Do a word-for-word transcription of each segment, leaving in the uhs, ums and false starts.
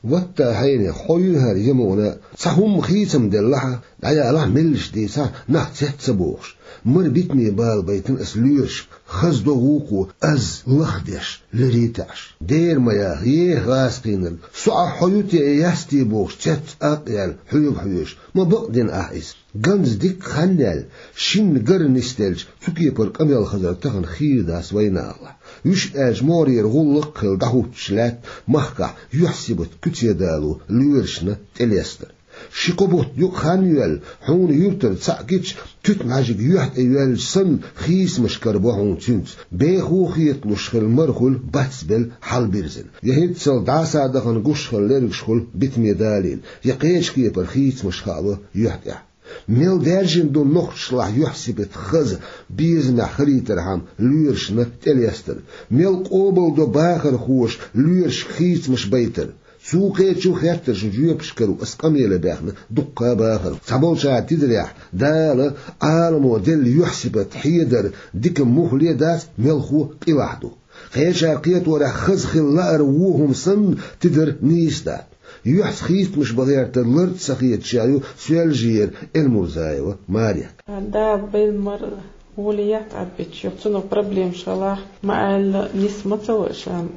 Ватта хьайна, хьо юьхьар ямуна, цхьа хӀумма хийцам деллахьа, дӀаялахь меллаш дийцахь, нах цец ца бохуш. Мара битаме бала байтина ас лоьрашка, хаза до гӀукхо, аз лахдеш, леритааш. Дера ма яха, еха гӀазкхийнарг, со ахь хьо ю те, ясте бохуш, цец акъ яьлла, хьоьга хьоьжуш. Ма бакъдина ахь иза. Ганза дикка хан яьлла, шинна гара нисделча, цу кепара къамел хазар тахана хийра дац вайнахалахь. Вуьш аьлча могӀарера гӀуллакх а хилла дӀахӀуттуш лаьтта махкахь юьхь-сибат куьце дало лоьрашна тӀелестар. Ши-кхо бутт юкъа хан йоьлла, хьуна юьртара цхьаъ гича, туьтмӀаьжиг юьхь тӀе йоьллача санна, хийцамаш карабо хьуна цуьнца. Беха хеталуш хилла мара хуьлу бацбелла, хьалабирзина. Я хӀинццалц дӀасадахана гуш хилла лергаш хуьлу битаме далийна, я кхечу кепара хийцамаш хаало юьхь тӀехь. Мел даьржина ду нохчашлахь юьхь-сибат хаза, безамехь хилийтархьама лоьрашна тӀелестар. Мел къобалдо бахархоша лоьрашка хийцамаш байтар. Цу кхечу хеттаршна жоьпаш каро ас къамеле баьхна дуккха а бахархо. Цхьаболчара тидарехь, Дала Ӏаламо делла юьхь-сибат хьедар дика муххале а дац, мелхо къилахь ду. Кхечара кхеторехь, хаза хила лаар вон хӀума санна, тидар нийса дац. Юьхьца хийцамаш бан гӀертар лар а ца хеташ яхь ю Соьлжера Эльмурзаева Марет. Дала белла мара гӀоле яц Ӏадбича, цунах проблемаш хилахь, ма аьлла, нис ма ца ваша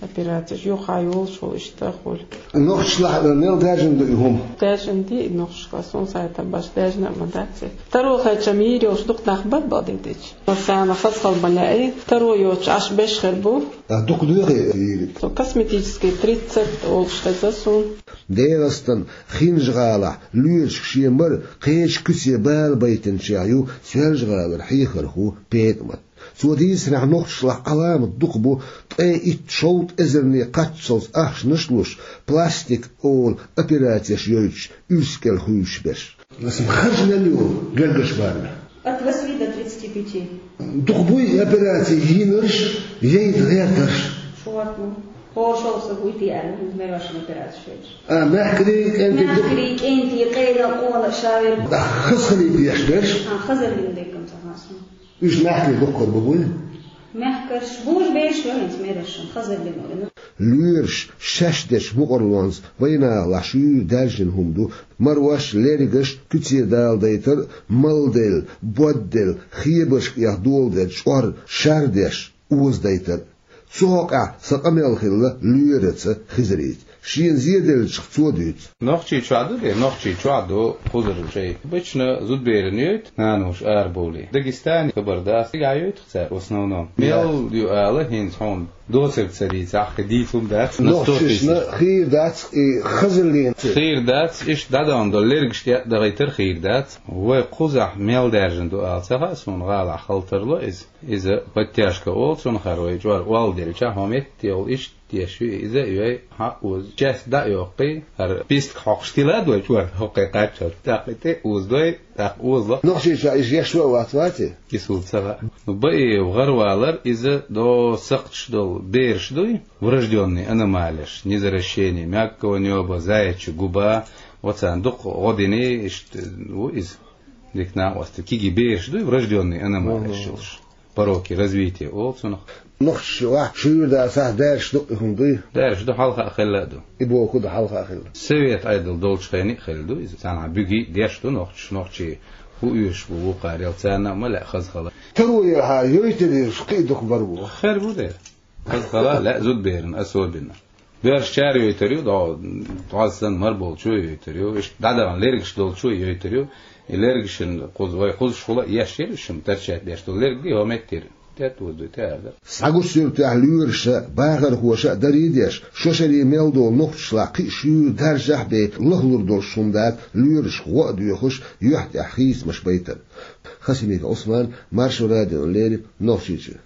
операцеш, юха йолуш волу иштта а хуьлу. Нохчашлахь мел даьржина ду и хӀума? Даьржина ду и нохчашлахь, суна схьахетарехь, даьржина а ма дац и. Таро хилча-м йийр йолуш дукха нах бара бакъдерг дийцича. Массарна хаза хила ма лаьа и, таро йоцуш Ӏаш берш хир бу. А дукха дуй хьан йийриг? Со косметический тридцать олуш хеза суна. ДегӀастан Хинжа-ГӀалахь лоьрашка шен мара кхечу куьце бала байтинчех ю Соьлжа-ГӀалара хьехархо ПетӀамат. Цо дийцарехь, нохчашлахь Ӏаламат дукха бу, ткъе итт-шовзткъа эзарне кхаччалц ахчанаш а луш, пластик олу операцеш йойтуш, уьш кӀел хуьйшуш берш. Аса харж мел ю гергарчу барамехь? От восьми до тридцати пяти. Дукха буй операци йинарш, яйта гӀертарш? Шорта ма. ХӀора шовзткъа са буй те аьлла, хӀинца мел ваша операци шоьтуш. А, мехкарий, кӀентий ду? Мехкарий, кӀентий, къена, къона, шавер. А, хаза хилийта деш берш? А, хазаллин деккам ца хасна. Уьш мехкарий дуккхар бу буй? Мехкарш, буж беш валинца мерашан, хазаллин валина. Лоьраш шаьш дечу мукъарлонца вайнахалахь шуьйра даьржина хӀума ду, марош, лергаш куьце дала дайтар, малделла, бодделла, хебаршка эха доладелла чӀор, шар деш, оза дайтар. Цу хьокъехь сан къамел хилла лоьраца Хизарийца. Шена зеделлачух цо дуьйцу. Нохчийчохь ду де, нохчийчохь ду кхузара шайта. Обычно зудберана йойту, наноша арабовлий. Дагестане хабар дац, цигахь йойту цара в основном. Мел ю ала хӀинца хьуна доцург ца дийцахь, кхин дийца хӀума дац. Нохчашна хийра дац и хазаллин. Хийра дац, иштта дӀадахана долу лергаш тӀе а дахийтар хийра дац. Вай кхузахь мел даьржина ду ала ца хаьа суна, гӀалахь хала тарло иза. Иза подтяжка олу цунах, хӀара вай чӀор олла делча, хьо метта йолу иштта деш ю иза, и вай хьаъ оза. Часть дӀа а йоккхий, хӀара пистка хьокхуш тилад вай чӀор, хӀокхе кхаччалц. ТӀаккха и тӀе озадой, тӀаккха озало. Нохчийчохь иза еш ван а вац, ваций? Кисул ца хаьа. Ну, баи гӀарвалар иза до сакхташ долу бераш дуй, врождённый аномалеш, незаращение мягкого нёба, заячья губа, вот царна дукха гӀо дини, иштта ву иза. Дика накъостий, кегий бераш дуй, врождённый аномалеш йолуш. Пороки развития олу цунах. Нохчашлахь шуьйра дацахь, даьржаш ду и хӀума дуй? Даьржаш ду, хьалха а хилла а ду. И боху ду, хьалха а хилла. Совет Ӏедал долчу хенахь а хилла ду иза. Царна бегий а деш ду нохчаша, нохчий хӀун оьшуш бу вукхарел, царна а ма лаьа хаза хала. Таро ярхьа йойтар ерш кхин а дукха бар бу. Хер бу де. Хаза хала лаьа зудберана особенно. Боьршачара йойтар ю, дӀо-, дӀоззан мар болчо йойтар ю, иштта дӀадахана лергаш долчо йойтар ю. И лергашна кхуза, вай кхузахула а еш яра уьш, торчать деш долу лерг, хӀо меттера тӀе а тӀе озадуьйту ара. Схьагучу суьртехь лоьраша, бахархоша а дарий деш, шо шаре мел долу нохчашлахь кхин а шуьйра даьржахь а бен лахлур долуш хӀума дац, лоьрашка гӀо а доьхуш, юьхь тӀехь хийцамаш байтар. Хасимиков Ӏусман, Маршо радиона леррина, Нохчийчуьра.